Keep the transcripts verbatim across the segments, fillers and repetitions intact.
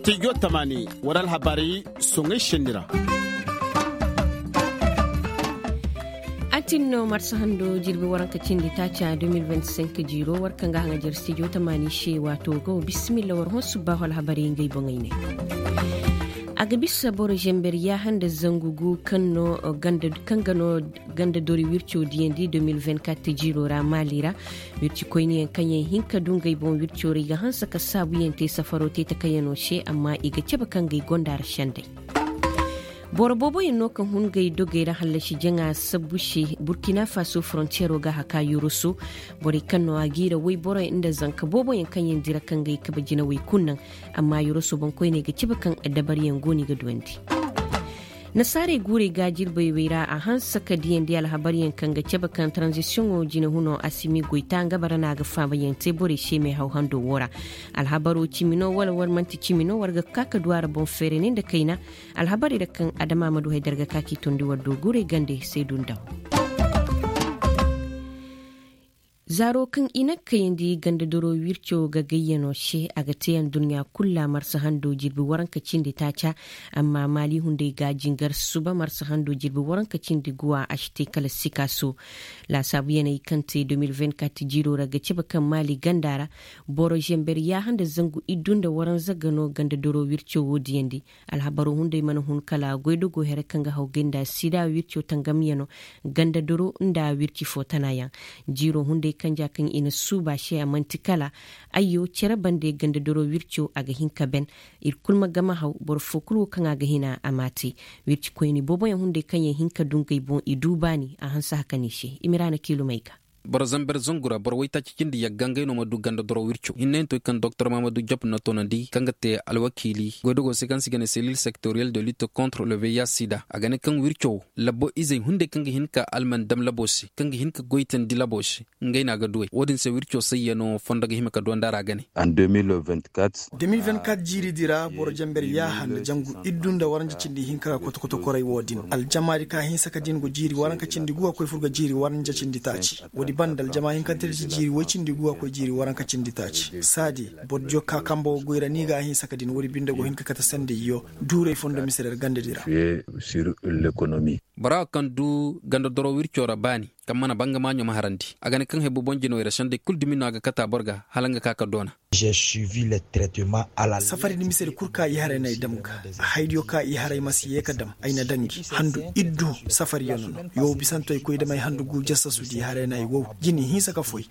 Tijo tamaani war alhabaari soŋay senni ra. A tin no marsa hando jirbi waranka cindi taaca deux mille vingt-cinq jiiro war kaŋ ga haŋajer studio tamaani se waato ga wa bisimilla war hõ subbaahu alhabarey ngey boŋey ne. A ga bisa boro zember yaaha nda zangu gu kaŋ no ganda kaŋ ga no ganda dori wirco diyandi deux mille vingt-quatre jiiro ra maali ra. Wirci koyniyaŋ kaŋ yaŋ hin ka du ngey boŋ wirco ra i ga hanse ka saabuyaŋ te safaro te takayano se amma i ga cabe kaŋ ga i gonda ra sendey. Boro booboyaŋ no ka hun ngey dogey ra hallasi jaŋa sabbu se burkina faso forontiyero ga haka yoroso. Borey kaŋ no a giira woyboroyaŋ nda zanka booboyaŋ kaŋ yaŋ dira kaŋ ga i kabe jinawey kulu naŋ. Amma yoroso boŋkoyney ga cabe kaŋ dabariyaŋ go no i ga duwandi. Nasaarey guurey ga jirbey wey ra a hanse ka diyandi alhabaryaŋ kaŋ ga cabe kaŋ taranzisiyoŋo jinahuno asimi goyta nga bara no a ga faamayaŋ te borey se meehaw hando wo ra. Alhabaro cimi no wala war man'ti cimi no war ga ka ka du a ra boŋ feerani nda kayna. Alhabarey ra kaŋ adama ma du haydar ga ka k'i tondi war do guurey gande saydu ndaw. Zaaro kaŋ i na kayandi ganda doro wirco ga gayyano se a ga te aduɲɲa kulu ra marsa hando jirbi waranka cindi taaca. Amma maali hunday ga jingar suba marsa hando jirbi waranka cindi guwa a si te kala sikaaso. Laasaabuyaney kaŋ te deux mille vingt-quatre jiiro ra ga cabe kaŋ maali ganda ra boro zember yaaha nda zangu iddu nda waranza ga no ganda doro wirco wo diyandi. Alhabaro hunday mana hun kala goydogo here kaŋ ga haw gay nda sida wirco tangamyano ganda doro nda wirci fo tanayaŋ. Jiiro hunday kanja kaŋ i na suuba se a man'ti kala ayyo cere bande ganda doro wirco a ga hin ka ben. Ir kulu ma gama haw boro fo kulu wo kaŋ a ga hina a m'a te. Wirci koyni booboyaŋ hunday kaŋ yaŋ hin ka du ngey boŋ i du baani a hanse hakani se i ma ira na kiilumey ga. Boro zamber zangu ra boro waytaaci cindi yagga ngey no ma du ganda doro wirco hinne yaŋ to kaŋ doktor mahamadu jop na toonandi kaŋ ga te alwakiili goydogo se kaŋ se i ga ne selil sektoriyel de lutte contre le veya sida a ga ne kaŋ wirco wo labbo izey hunday kaŋ ga hin ka alman dam labo se kaŋ ga hin ka goytandi labo se. Ngey no a ga duwey wo-din se wirco sayyano fondo ga hima ka duwandi a ra ga ne. Deux mille vingt-quatre jiiri di ra boro jamber yaaha nda jangu iddu nda waranja cindi hinka ga kotokoto koray wo-din aljamaadi ka hinsa ka din go jiiri waranka cindi guwa koy fur ga jiiri waranja cindi taaci. Woodi banda aljama hinkante da ci jiiri woy cindi guwa koy jiiri waranka cindi taaci saadi. Boro diyo ka kambo ga goy ra ni ga a hinsa ka din woodi binde go hin ka kate sandayyo duuray fondo mise ra ganda di ra. Bora wo kaŋ du ganda doro wirco ra baani kaŋ mana banga maaɲo ma harandi a ga ne kaŋ haybu boŋ jinawey ra sendey kulu dumi no a ga kata boro ga hala nga ka ka doona. Safari di misedi kul ka i haray no ay dam ga. Haydiyo ka i haray ma si ye ka dam ay na dangi handu iddu safari yaŋ no. Yow bisanto ay koy dam ay handu gu jassasu di haray no ay wow jini hinsa ka foy.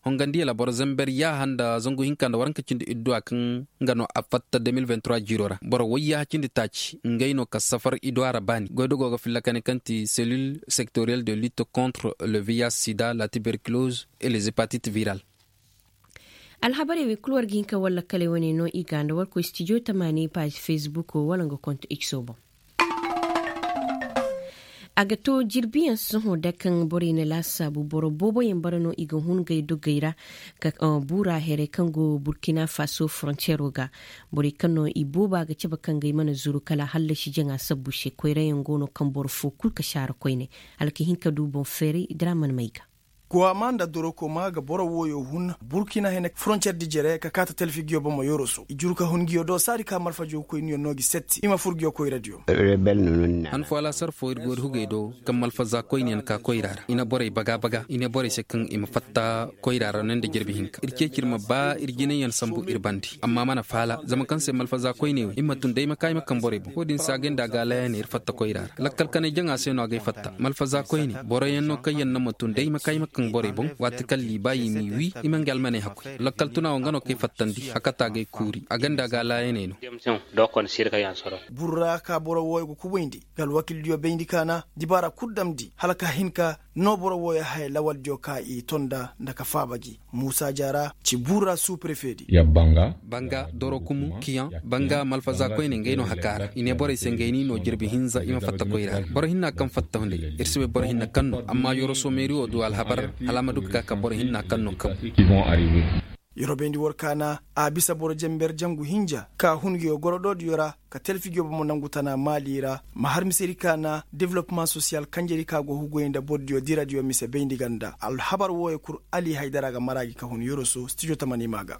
Hongandiyo la boro zamber yaaha nda zangu hinka nda waranka cindi iddu a kaŋ nga no a fatta deux mille vingt-trois jiiro ra boro wayyaaha cindi taaci ngey no ka safar iddu a ra baani goydogo ga filla kane kaŋ ti selil sektoriyel de lutte contre le vih sida la tuberculose et les hepatites virales. Alhabarey wey kul war ga hin ka war lakkaley wane no i ga nda war koy stijo tamaani paazi fesbuko wala nga konto x o boŋ. A ga to jirbiyaŋ sohõ da kaŋ borey na laasaabu boro booboyaŋ bara no i ga hun gay dogey ra. Buura heray kaŋ go burkina faso forontiyero ga borey kaŋ no i booba ga cabe kaŋ gay mana zuru kala hallasi jaŋa sabbu se koyrayaŋ go no kaŋ boro fo kul ka saara koyne. Hala ka hin ka du boŋ feeray dira mana may ga. Kuwama nda dorokoma ga boro wooyo hun burkina hene forontiyar di jere ka kaata talfi ngiyo bomo yoroso i juru ka hun ngiyo do saadi ka malfajo koyniyo no gi setti i ma fur ngiyo koyradiyo. Han fo alaasar fo ir go ir hugey do kaŋ malfaza koyniyaŋ ka koyra ra i na borey baga baga i ne borey se kaŋ i ma fatta koyra ra no nda jirbi hinka ir ceeci ir ma ba ir jinayyaŋ sambu ir bandi amma mana faala zama kaŋ se malfaza koyne wo i ma tun day ma kaayma kaŋ borey boŋ wo-din se a gay nda a ga a laayane ir fatta koyra ra lakkal kanay jaŋa se no a gay fatta malfaza koyne boroyaŋ no kaŋ yaŋ no ma tun day ma kaayma kaŋ borey boŋ waati kaŋ liiba i m'i wi i ma nga almaney hakkoy lakkal tuna wo nga no kay fattandi hakata gay kuuri a ganda ga laayaney no. Burra ka boro wooyo ga kubayndi ga alwakildiyo bayndi kaana dibaara kul damndi hala ka hin ka no boro wooyo haya lawaldiyo ka i tonda nda ka faaba gi muusa jaara ci burra suuprefedi. Banga dorokumu kiyaŋ banga malfaza koyne ngey no haka ra i ne borey se ngey ni no jirbi hinza i ma fatta koyra ra boro hinna kaŋ fatta hunday ir si bay boro hinna kaŋ no amma yoroso meeri wo du alhabar hala a ma du ka ka boro hinna kaŋ no kabu. Yorobayndi war kaana a bisa boro jamber jangu hinja ka hun ngiyo gorodoodiyo ra ka talfi ngiyo bomo nangu tana maali ra ma har misedi kaana developmaŋ sosiyal kanjedi ka go hugoy nda bordiyo diradiyo mise bayndi ganda alhabar wooyo kul ali haydara ga mara gi ka hun yoroso stijo tamani ma ga.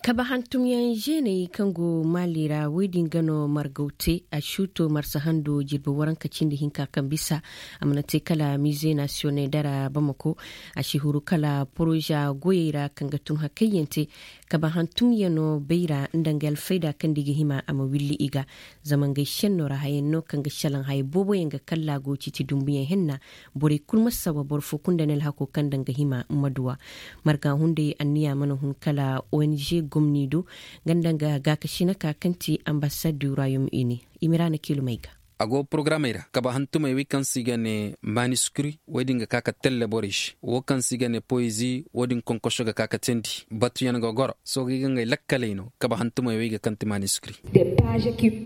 Kabe hantumyaŋ zeeney kaŋ go maali ra wey din ga no margaw te a suuto marsa hando jirbi waranka cindi hinka kaŋ bisa. A mana te kala mize nasiyoney dara bamako. A si huru kala poroza goyey ra kaŋ ga tun hakayyaŋ te. Kabe hantumyaŋo bayra nda nga alfayda kaŋ da i ga hima a ma willi i ga. Zama ngey senno ra hayaŋ no kaŋ ga salaŋ haya booboyaŋ ga kalla go citi dumbuyaŋ henna. Borey kul ma sawa boro fo kulu nda ni alhako kaŋ daŋ ga hima ma duwa. Marga hunday anniya mana hun kala ong gomni do. Nga nda nga gaakasina ka kaŋ ti ambasad du royaume uni. Imiraana kiilumey ga. A go porogaramey ra kaba hantumey wey kaŋ se i ga ne maniskuri wey din ga ka ka telle borey se wo kaŋ se i ga ne poyezi wo din konkoso ga ka ka teendi batuyaŋ ga goro. Soogey ga ngey lakkaley no kaba hantumey wey ga kaŋ ti maniskuri.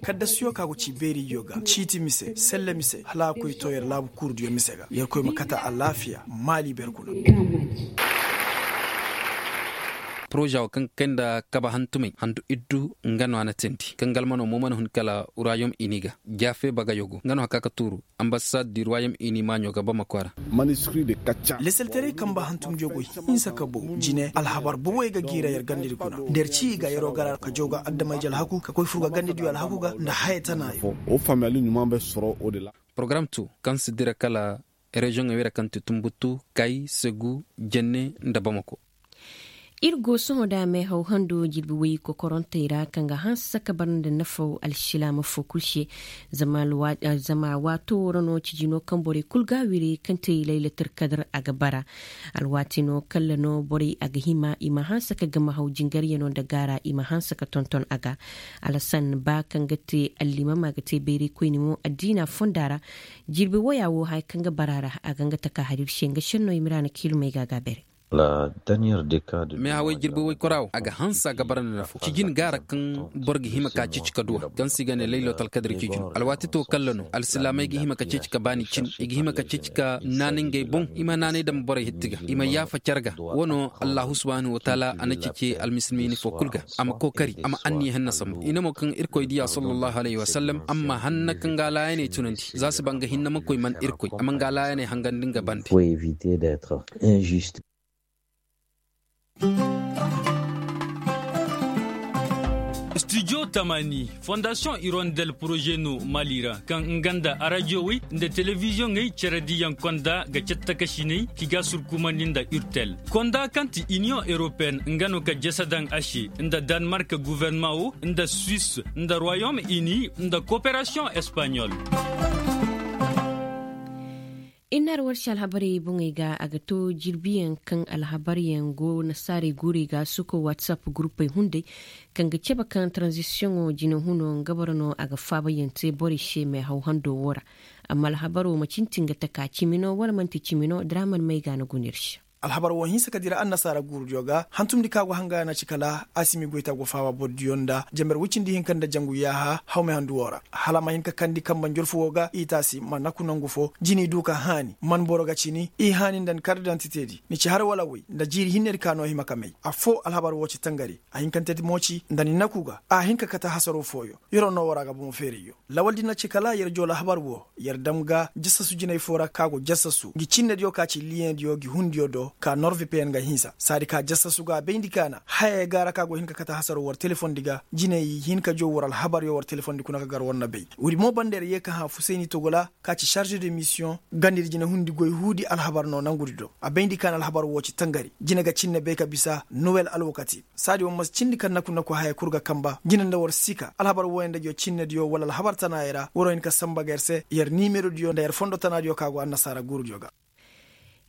Kaddasiyo ka go ci beeriyo ga ciiti mise selle mise hala a koy to yer laabu kuurudiyo mise ga yer koy ma kata alaafiya maali ber kuna. Poroza wo kaŋ ga kay nda kaba hantumey handu iddu nga no a na teendi kaŋ galmano mo mana hun kala royaume uni ga. Jaafe bagayo go nga no haka ka tuuru. Ambasad di royaume uni maaɲo ga bamako ra. Leselterey kamba hantumdiyo go hinsa ka bow jine alhabar boboy ga giira yer gandedi kuna nda yer ci i ga yeroo gara ka jaw ga adamay jalhaku ka koy fur ga gandediyo alhaku ga nda haya tana. Porogaram tu kaŋ si dira kala reziyoŋey wey ra kaŋ ti tumbutu kay segu jenne nda bamako. Ir go sohõ da meehaw hando jirbi woy kokorontey ra kaŋ ga hanse ka bar nda nafaw alsilaama fo kul se. Zama waato woo ra no cijino kaŋ borey kul ga a wiri kaŋ te laylatar kadar a ga bara. Alwaati no kalla no borey a ga hima i ma hanse ka gamahaw jingaryano nda gaara i ma hanse ka tonton a ga. Alasan ba kaŋ ga te allimama ga te bayraykoyni mo addiina fonda ra. Jirbi woya wo haya kaŋ ga bara ra a ga nga taka har ir se nga senno i ma ra na kiilumey ga a ga a bere. Meehawey jirbi woy kora wo a ga hanse a ga bara nda nafo cijin gaara kaŋ boro ga hima ka ceeci ka duwa kaŋ se i ga ne laylotal kadir cijin alwaati to kalla no alsilaamey ga hima ka ceeci ka baani cin i ga hima ka ceeci ka naanay ngey boŋ i ma naanay dam borey hitti ga i ma yaafa care ga. Wo no allahu subhanahu wataala a na ceeci almisilmiini fo kul ga a ma kookari a ma anniya hanna sambu i ne mo kaŋ irkoy diya sallallahu alayhi wasallam amma hanna kaŋ ga alaayaney tunandi za si ba nga hinne ma koy man irkoy a ma nga alaayaney hangandi nga bande. Studio tamani fondasiyoŋ irondel poroze no mali ra kaŋ nga nda arajiyowey nda telebiziyoŋey cerediyaŋ konda ga cattakasiney ki ga surkumandi nda urtel konda kaŋ ti iniyoŋ europeen nga no ka jasa daŋ a se nda danmark guverneman wo nda suwis nda royaume uni nda koperasiyoŋ espaɲol. Innar warsi alhabarey boŋey ga a ga to jirbiyaŋ kaŋ alhabaryaŋ go nasaarey guurey ga suko whatsapp guruppey hunday kaŋ ga cabe kaŋ taranzisiyoŋo jine huno nga boro no a ga faabayaŋ te borey se meehaw hando wo ra. Amma alhabaro ma cintin ga taka cimi no wala man'ti cimi no draman may ga na guna ir se. Alhabar wo hinsa ka dira annasaara guurudiyo ga hantumndi ka go hanga na ci kala asimi goyta go faaba bordiyo nda jamber woy cindi hinka nda jangu yaaha hawmay handu wo ra hala a ma hin ka kandi kambe njorfu wo ga i taasi ma naku nangu fo jini du ka haani man boro ga cini i haani nda ni kardidantitedi ni ci har wala woy nda jiiri hinnedi ka no hima ka may affoo alhabar wo ci tangari a hinkantedi mo ci nda ni naku ga a hin ka kate hasaro fooyo. Yeroo no woo ra ga bomo feerayyo lawaldi na ci kala yer joo alhabar wo yer dam ga jasasu jinay foo ra ka go jasasu ngi cinnediyo ka ci liyeŋdiyo ngi hundiyo do ka norvipeyen ga hinsa saadi ka jasasu ga a bayndi kaana haya ga ra ka go hin ka kate hasaro war telefondi ga jinay hin ka joo war alhabaryo war telefondi kuna ka gar war na bay woodi mo banda yer yee ka hã fusayni togola ka ci sarže de misiyoŋ gandedi jine hundi goy huudi alhabar no nangudi do a bayndi kaana alhabar wo ci tangari jine ga cinne bay ka bisa nowel alwakati saadi wo ma si cindi ka naku naku haya kul ga kamba jine nda war sika alhabar wooyaŋ nda jo cinnediyo wala alhabar tanaayey ra waroo hin ka samba ga yer se yer nimerodiyo nda yer fondo tanaadiyo ka go annasaara guurudiyo ga.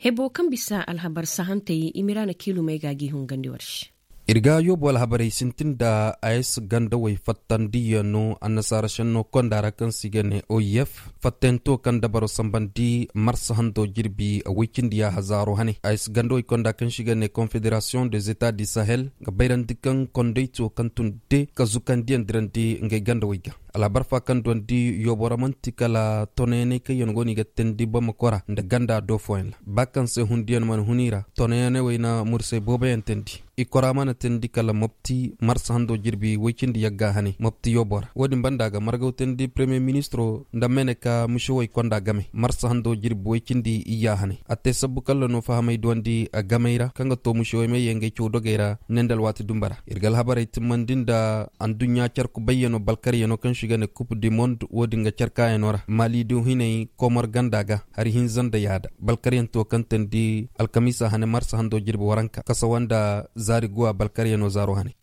Hebo kaŋ bisa alhabar sahantey i ma ira na kiilumey ga gi hungandi war se. Ir ga yoobu alhabarey sintin nda a s gandawey fattandiyaŋ no annasaara senno konda ra kaŋ se i ga ne o i f fattento kaŋ dabaro sambandi marsa hando jirbi woy cindi yaaha zaaro hane a s gandawey konda kaŋ se i ga ne konfederasiyoŋ de zeta di sahel ga bayrandi kaŋ kondayto kaŋ tun de ka zukandiyaŋ dirandi ngey gandawey ga. Alhabar fa kaŋ duwandi yoobo ra man'ti kala tonayaney kaŋ yaŋ go no i ga teendi bamakora nda ganda do fooyaŋ ra ba kaŋ se hundiyaŋ mana hun i ra. Tonayaney wey na mursay booboyaŋ teendi. I kora mana teendi kala mopti marsa hando jirbi woy cindi yagga hanay mopti yoobo ra wo-din banda a ga margaw teendi premiyer ministiro nda mene ka mušewey konda game marsa hando jirbi woy cindi iyya hanay. A te sabbu kalla no fahamey duwandi a gamey ra kaŋ ga to mušewey may yee ngey caw dogey ra. Ne nda alwaati dumba ra ir ga alhabarey timmandi nda adduɲɲa carku bayyanoo balkaryanoo kaŋ se i ga ne kup di mond wo-din ga carkaayanoo ra maali do hinay komor ganda ga hari hinza nda yaada balkaryanti wo kaŋ teendi alkamiisa hane marsa hando jirbi waranka kasawa nda zaari guwa balkaryanoo zaaro hane.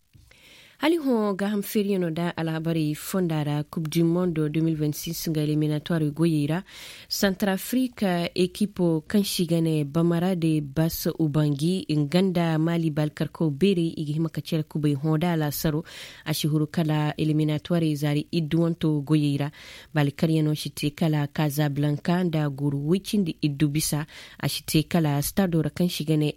Hala i hõ gaaham feeriyanoo nda alhabarey fonda ra kup di mondo de mil vingt six nga eliminatwar goyey ra. Santar afrika ekipo kaŋ se i ga ne bamara de bas ubangi nga nda maali baalkarkaw beerey i ga hima ka cere kubay hõ da alaasaro. A si huru kala eliminatwarey zaari idduwanto goyey ra. Baali karyanoo si te kala kazablanka nda guru woy cindi iddu bisa. A si te kala stado ra kaŋ se i ga ne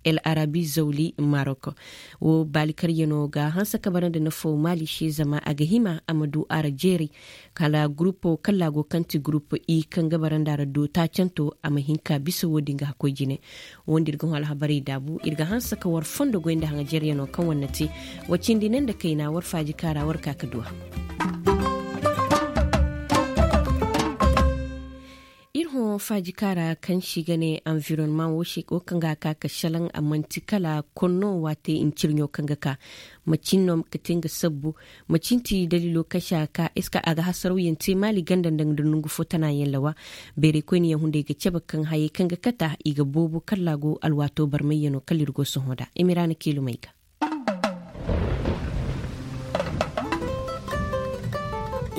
el arabi zawli marok. Wo baali karyanoo ga hanse ka bara nda nafaw maali se zama a ga hima a ma du a ra jeeray. Kala gurupo kalla go kaŋ ti gurupo i kaŋ ga bara nda a ra dootaacanto a ma hin ka bisa wo-din ga hakkoy jine. Wo nda ir ga hõ alhabarey daabu ir ga hanse ka war fondo goy nda haŋajeryanoo kaŋ war na te. Wa cindi ne nda kayna war faaji kaara war ka ka du a. Ir hõ faaji kaara kaŋ se i ga ne anvironman wo se wo kaŋ ga a ka ka šelaŋ a man'ti kala konno waate ncirɲo kaŋ ga ka. Macin no ka te nga sabbu? Macin ti daliilo kaŋ se a ga ka eska a ga hasarawyaŋ te maali ganda nda nongu fo tanayaŋ lawa. Beeray koynayaŋ hunday ga cabe kaŋ hayey kaŋ ga kata i ga boobo kalla go alwaato barmayyanoo kala ir go sohõ nda imiraana kiilumey ga.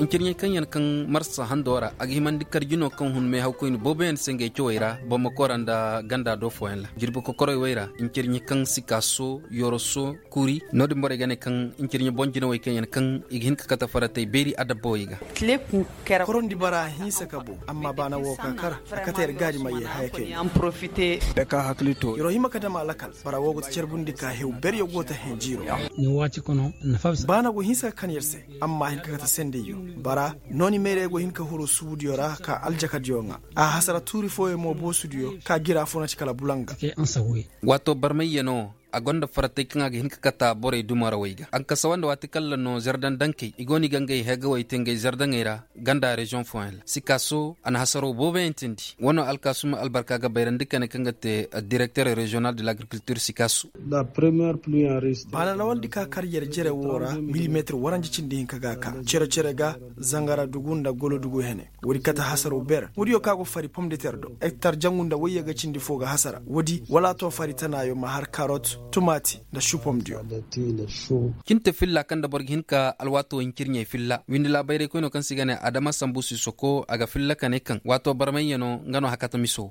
Ncirɲey kaŋ yaŋ kaŋ marsa hando ra a ga himandi karji no kaŋ hun meehaw koyne booboyaŋ se ngey cawey ra bamako ra nda ganda do fooyaŋ ra jirbi kokorey wey ra. Ncirɲe kaŋ sikaaso yoroso kuri no-din borey ga ne kaŋ ncirɲe boŋ jinawey kaŋ yaŋ kaŋ i ga hin ka kate faratey beeri adabbawey ga. Korondi bara hinsa ka boŋ amma baana wo ka kar a kate yer gaadi ma ye haya kay. Yer wo hima ka dam a lakal bara wo go ta carbundi ka hew beryo go ta heŋ jiiro. Baana go hinsa ka kan yer se amma a hin ka kate sendayyo. Bara nooni meerey go hin ka huru suubudiyo ra ka aljakadiyo ŋaa a hasara tuuri fooyo mo boosudiyo ka gira fo na ci kala bulanga. Waato barmayyanoo a gonda faratey kaŋ a ga hin ka kata borey dumarawey ga a ga kasa wanda waati kalla no zardaŋ dankey i go no i ga ngey heegawey te ngey zardaŋey ra. Ganda reziyoŋ fooyaŋ ra sikaaso a na hasaro booboyaŋ tindi. Wano alkaasuma albarka ga bayrandi kane kaŋ ga te direkter reziyonal de lagrikiltir sikaaso. Baana lawaldi ka kar yer jere wo ra milimetir waranja cindi hinka ga ka cere-cere ga zangara dugu nda golo dugu hene. Woodi kate hasaro ber woodiyo ka go fari pomdeter do ektar jangu nda wayye ga cindi fo ga hasara woodi wala a to fari tanaayo ma har karot tumaati nda supomdiyo. Cinte filla kaŋ nda boro ga hin ka alwaato hincirɲey filla windi laabayraykoynoo kaŋ se i ga ne adama sambu sisoko a ga filla ka ne kaŋ waato barmayyanoo nga no hakata miso.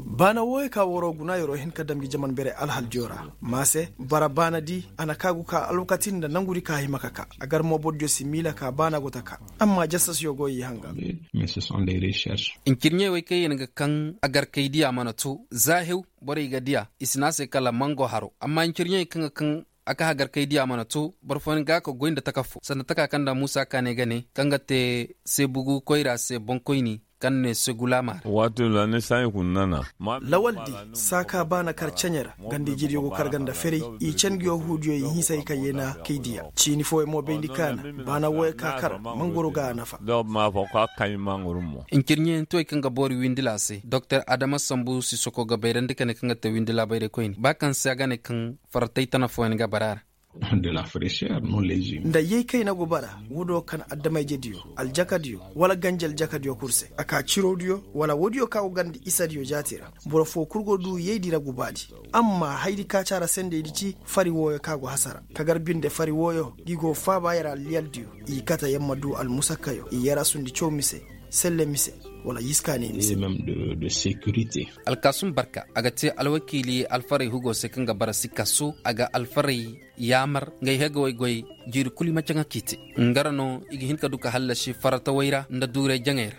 Baana wooyo ka waroo guna yeroo hin ka dam ngi jaman berey alhaldiyo ra. Ma se bara baana di a na kaagu ka alwakati nda nangudi ka hima ka ka a gar mo bordiyo si miila ka baana go ta ka. Amma jasasyo go i hanga. Ncirɲey wey kaŋ yer ga kaŋ a gar kay diya mana to za hew borey ga diya i si ne a se kala mango haro amma ncirɲey kaŋ ga kaŋ a ka hagar kay diya mana to boro fooyaŋ ga ka goy nda taka fo sanda taka kaŋ nda muusa kaanay ga ne kaŋ ga te seebugu koyra se boŋkoyni kaŋ ne segulama ra. Lawal di saaka baana kar ceɲe ra ganda ijediyo go kar ganda ferey i cen nguyo huudiyo i hinsa i ka yeena kay diya ciini fooyaŋ mo bayndi kaana baana wooyo ka kar mangoro ga a nafa. Ncirɲeyantiwey kaŋ ga boori windila se doktor adama sambu sisoko ga bayrandi ka ne kaŋ ga te windila bayray koyne ba kaŋ se a ga ne kaŋ faratay tana fooyaŋ ga bara a ra. Nda yay kayna go bara woodiyo kaŋ adama-ijediyo aljakadiyo wala ganji aljakadiyo kul se a ka cirodiyo wala woodiyo kaŋ a go ganda isadiyo jaati ra. Boro foo kul go duu yaydi ra gubaadi. Amma haydi kaacaara sendaydi ci fari wooyo kaŋ a go hasara ka gar binde fari wooyo ngi go faaba yer alliyaldiyo i kate yer ma duu almusakkayo i yer a sundi caw mise selle mise wala yiskaani mise. Alkaasum barka a ga te alwakiili alfaray hugo se kaŋ ga bara sikka su a ga alfaray yaamar ngey hegawey goy jiiri kulu i ma caŋa k'i te. Nga ra no i ga hin ka du ka hallasi faratawey ra nda duuray jaŋey ra.